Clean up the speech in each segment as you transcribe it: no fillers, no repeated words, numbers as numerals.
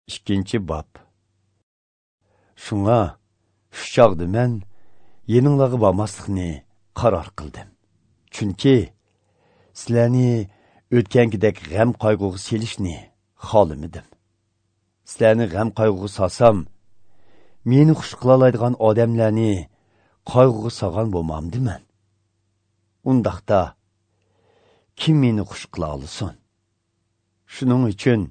2-bob. Shunga shu chog'da men yeninglarga bormaslikni qaror qildim. Chunki sizlarni o'tgangidek g'am qayg'uga selishni xohlamadim. Sizlarni g'am qayg'uga solsam, meni xush qila oladigan odamlarni qayg'uga solgan bo'lmamdiman. Undaqda kim meni xush qila olsin? Shuning uchun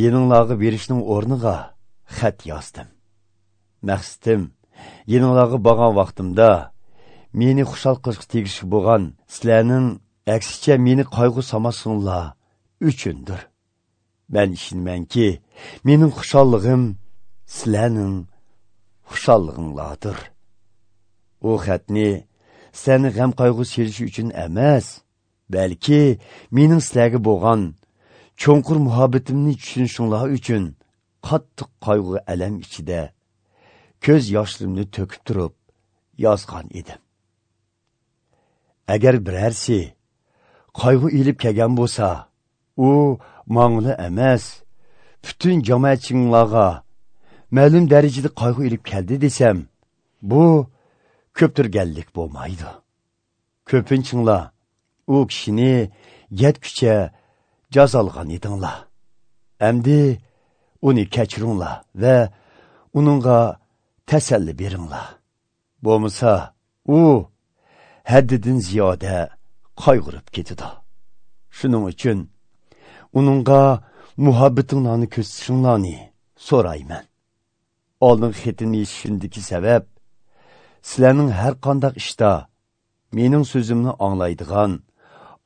yeninglarga berishning o'rniga xat yozdim. Maqsadim yeninglarga borgan vaqtimda meni xushal qilishga tegishli bo'lgan sizlarning aksicha meni qayg'u solmasinlar uchundir. Men ishonamanki, mening xushalligim sizlarning xushalliginglardir. U xatni sizlarni g'am qayg'u selishi uchun emas, balki mening sizlarga bo'lgan cho'nqur muhabbatimni tushunishinglar uchun qattiq qayg'u alam ichida ko'z yoshlarimni to'kib turib yozgan edim. Agar birarsi qayg'u ilib kelgan bo'lsa, u mangli emas, butun jamoatchinglarga ma'lum darajada qayg'u ilib keldi desam, bu ko'ptirganlik bo'lmaydi. Ko'pinchinglar u kishini yetkucha jazolgan edinglar. Endi uni kechiringlar va uningga tasalli beringlar. Bo'lmasa, u haddidan ziyoda qayg'urib ketadi. Shuning uchun uningga muhabbatinglarni ko'rsatishinglarni so'rayman. Oldin xatimni yozishimdagi sabab sizlarning har qanday ishda mening so'zimni anglaydigan,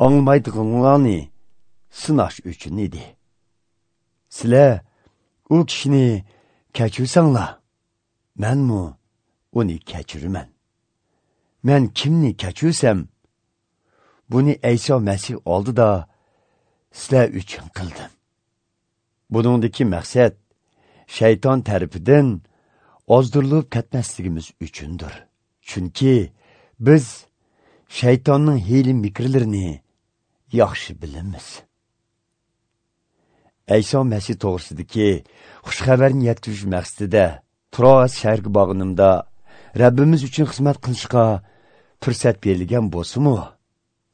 anglamaydiganlarni sinash uchun edi. Sizlar u kishini kechirsanglar, menmi uni kechiraman. Men kimni kechirsam, buni Ayso Masih oldida sizlar uchun qildim. Buningdagi maqsad shayton tarafidan ozdirilib ketmasligimiz uchundir. Chunki biz shaytonning hiyla mikrlarini yaxshi bilamiz. Ayso Masih to'g'risidagi xush xabarni yetkazish maqsadida Troas shahriga borganimda Rabbimiz uchun xizmat qilishga fursat berilgan bo'lsa-mu,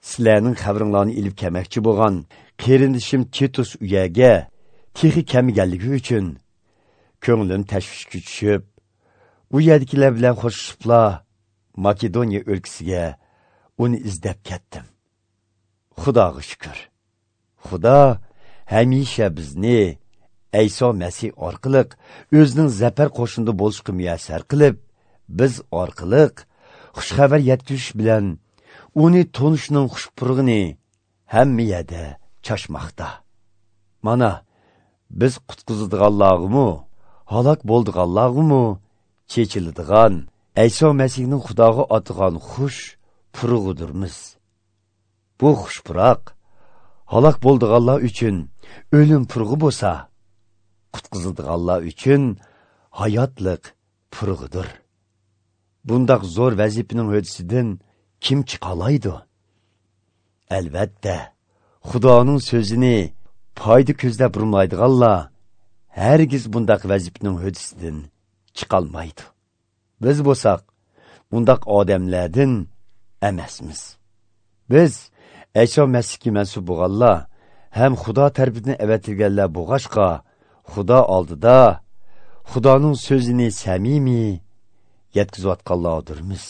sizlarning xabaringlarni ilib kelmoqchi bo'lgan qarindishim Titus u yerga texi kelmaganligi uchun ko'nglim tashvishga tushib, u yerdagilar bilan qo'shishibla Makedoniya o'lkasiga uni izlab ketdim. Xudoga shukr. Xudo hamisha bizni Ayso Masih orqali o'zining zafar qo'shinida bo'lishga muyassar qilib, biz orqali xush xabar yetkazish bilan uni tunishning xush purg'ini hamma yerda chashmoqda. Mana biz qutqizadiganlarg'imi, halok bo'ldiganlarg'imi chechiladigan Ayso Masihning Xudoga atgan xush purg'idirmiz. Bu xush puroq halok bo'ldiganlar uchun o'lim purg'i bo'lsa, qutqizadiganlar uchun hayotlik purg'idir. Bundaq zo'r vazifaning höddəsindən kim chiqalaydi? Albatta, Xudoning so'zini foyda ko'zlab burmaydiganlar hargiz bundaq vazifaning höddəsindən chiqolmaydi. Biz bo'lsak, bundaq odamlardan emasmiz. Biz Ayso Masihga mansub bo'lganlar ham Xudo tarafidan avatilganlar bo'lg'achqa, Xudo oldida Xudoning so'zini samimiy yetkazayotganlardirmiz.